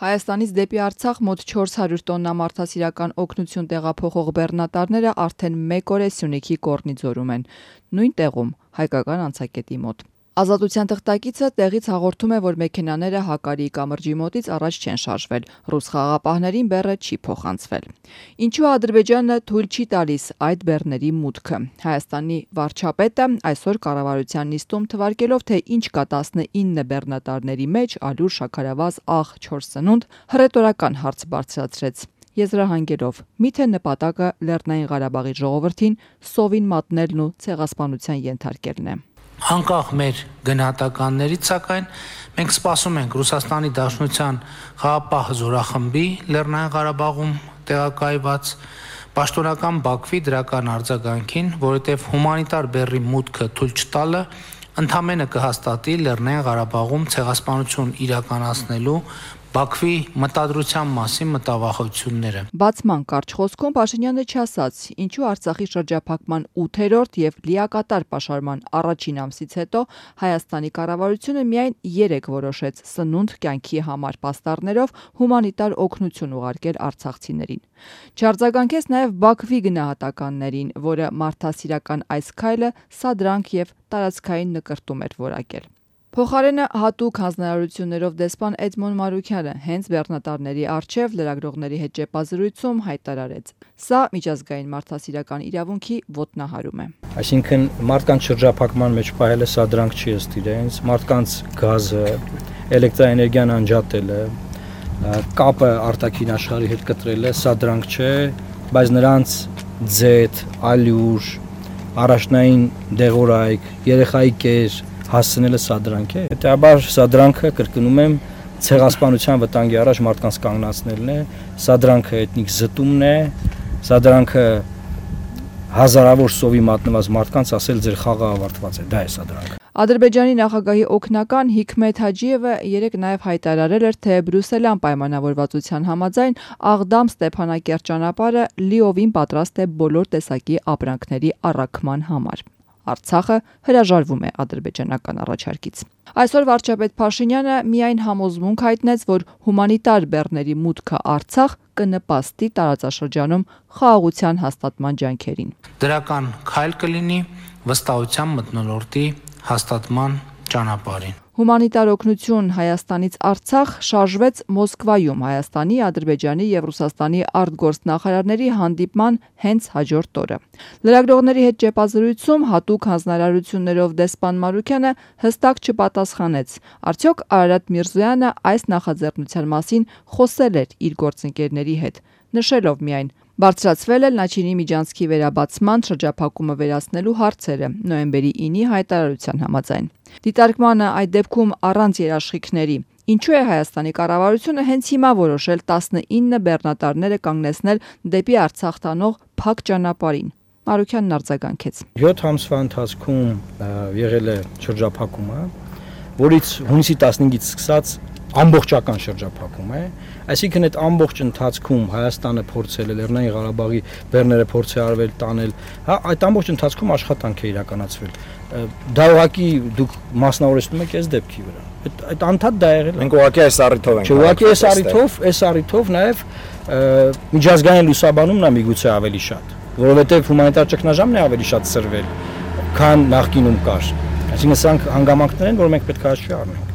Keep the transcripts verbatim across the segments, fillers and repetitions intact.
Հայաստանից դեպի Արցախ մոտ չորս հարյուր տոննա մարդասիրական օգնություն տեղափոխող բեռնատարները արդեն մեկ օր է Սյունիքի Կոռնիձորում են, նույն տեղում հայկական անցակետի մոտ։ Ազատության թղթակիցը տեղից հաղորդում է, որ մեքենաները Հակարիի կամրջի մոտից առաջ չեն շարժվել, ռուս խաղաղապահներին բեռը չի փոխանցվել։ Ինչու Ադրբեջանը թույլ չի տալիս այդ բեռների մուտքը։ Հայաստանի վարչապետը այսօր կառավարության նիստում թվարկելով, թե ինչ կա տասնինը բեռնատարների մեջ, ալյուր, շաքարավազ, աղ, չոր սնունդ, հռետորական հարց բարձրացրեց։ Եզրահանգելով, միթե նպատակը Լեռնային Ղարաբաղի ժողովրդին սովին մատնելն ու ցեղասպանության ենթարկելն է։ Անկախ մեր գնահատականներից, սակայն մենք սպասում ենք Ռուսաստանի Դաշնության խաղաղապահ զորախմբի Լեռնային Ղարաբաղում տեղակայված պաշտոնական Բաքվի դրական արձագանքին, որովհետև հումանիտար բեռի մուտքը թույլ չտալը ընդամենը կհաստատի Լեռնային Ղարաբաղում ցեղասպանություն իրականացնելու Բաքվի մտադրության մասին մտավախությունները։ Բացման կարճ խոսքում Փաշինյանը չասաց, ինչու Արցախի շրջափակման ութերորդ եւ լիակատար պաշարման առաջին ամսից հետո Հայաստանի կառավարությունը միայն երեք որոշեց սնունդ կյանքի համար պաստառներով հումանիտար օգնություն ուղարկել արցախցիներին։ Չարձագանքեց նաեւ Բաքվի գնահատականներին, որը մարդասիրական այս քայլը սադրանք եւ տարածքային նկրտում էր որակել։ Փոխարենը հատուկ հանձնարարություններով դեսպան Էդմոն Մարուքյանը հենց բեռնատարների առջև լրագրողների հետ ճեպազրույցում հայտարարեց. Սա միջազգային մարդասիրական իրավունքի ոտնահարում է։ Այսինքն մարդկանց շրջափակման մեջ պահելը սադրանք չի ըստ իրենց, մարդկանց գազը, էլեկտրաէներգիան անջատելը, կապը արտաքին աշխարհի հետ կտրելը սադրանք չէ, բայց նրանց ձեթ, ալյուր, առաջնային դեղորայք, երեխայի կեր հասցնելը սադրանք է։ Հետաբար սադրանքը, կրկնում եմ, ցեղասպանության վտանգի առաջ մարդկանց կանգնացնելն է, սադրանքը էթնիկ զտումն է, սադրանքը հազարավոր սովի մատնված մարդկանց ասել ձեր խաղը ավարտված է, դա է սադրանքը։ Ադրբեջանի նախագահի օգնական Հիքմեթ Հաջիևը երեկ նաև հայտարարել էր, թե Բրյուսելյան պայմանավորվածության համաձայն Աղդամ-Ստեփանակերտ ճանապարհը լիովին պատրաստ է բոլոր տեսակի ապրանքների առաքման համար։ Արցախը հրաժարվում է ադրբեջանական առաջարկից։ Այսօր վարչապետ Փաշինյանը միայն համոզմունք հայտնեց, որ հումանիտար բեռների մուտքը Արցախ կնպաստի տարածաշրջանում խաղաղության հաստատման ջանքերին։ Դրական քայլ կլինի վստահության մթնոլորտի հաստատման ճանապարհին։ Հումանիտար օգնություն Հայաստանից Արցախ շարժվեց Մոսկվայում Հայաստանի, Ադրբեջանի եւ Ռուսաստանի արտգործնախարարների հանդիպման հենց հաջորդ օրը։ Լրագրողների հետ ճեպազրույցում հատուկ հանձնարարություններով դեսպան Մարուքյանը հստակ չպատասխանեց, արդյոք Արարատ Միրզոյանը այս նախաձեռնության մասին խոսել էր իր գործընկերների հետ, նշելով միայն բարձրացվել է Լաչինի միջանցքի վերաբացման շրջափակումը վերացնելու հարցերը նոյեմբերի ինի հայտարարության համաձայն։ Դիտարկմանը այդ դեպքում առանց երաշխիքների ինչու է Հայաստանի կառավարությունը հենց հիմա որոշել տասնինը բեռնատարները կանգնեցնել դեպի Արցախ տանող փակ ճանապարհին։ Մարուքյանն արձագանքեց. յոթ ամսվա ընթացքում եղել է շրջափակումը, որից հունիսի տասնհինգից սկսած ամբողջական շրջափակում է, այսինքն այդ ամբողջ ընթացքում Հայաստանը փորձել է Լեռնային Ղարաբաղի բեռները փորձել արվել տանել, հա, այդ ամբողջ ընթացքում աշխատանք է իրականացվել։ Դա ուղղակի դուք մասնավորեցնում եք այս դեպքի վրա։ Այդ այդ անդադ դա եղել է։ Մենք ուղղակի այս առիթով ենք։ Ուղղակի այս առիթով, այս առիթով նաև միջազգային լուսաբանումն է միգուցե ավելի շատ, որովհետև հումանիտար ճգնաժամն է ավելի շատ սրվել, քան նախկինում կար։ Այսինքն սրանք հանգամանքներ են, որ մենք պետք է հաշվի առնենք։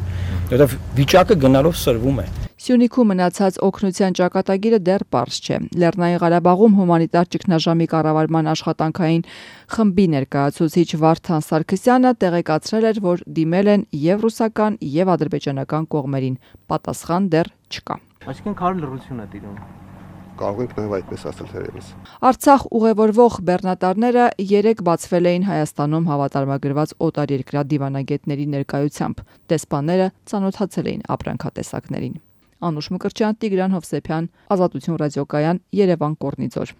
Որտեվ վիճակը գնալով սրվում է։ Սյունիքում մնացած օգնության ճակատագիրը դեռ պարզ չէ։ Լեռնային Ղարաբաղում հումանիտար ճգնաժամի կառավարման աշխատանքային խմբի ներկայացուցիչ Վարդան Սարգսյանը տեղեկացրել էր, որ դիմել են եւ ռուսական եւ ադրբեջանական կողմերին։ Պատասխան դեռ չկա։ Այսինքն քարը լռություն է տիրում։ Կարող եք նաև այդպես ասել թերևս։ Արցախ ուղևորվող բեռնատարները երեք բացվել էին Հայաստանում հավատարմագրված օտարերկրյա դիվանագետների ներկայությամբ։ Դեսպանները ծանոթացել էին ապրանքատեսակներին։ Անուշ Մկրտչյան, Տիգրան Հովսեփյան, Ազատություն ռադիոկայան, Երևան, Կոռնիձոր։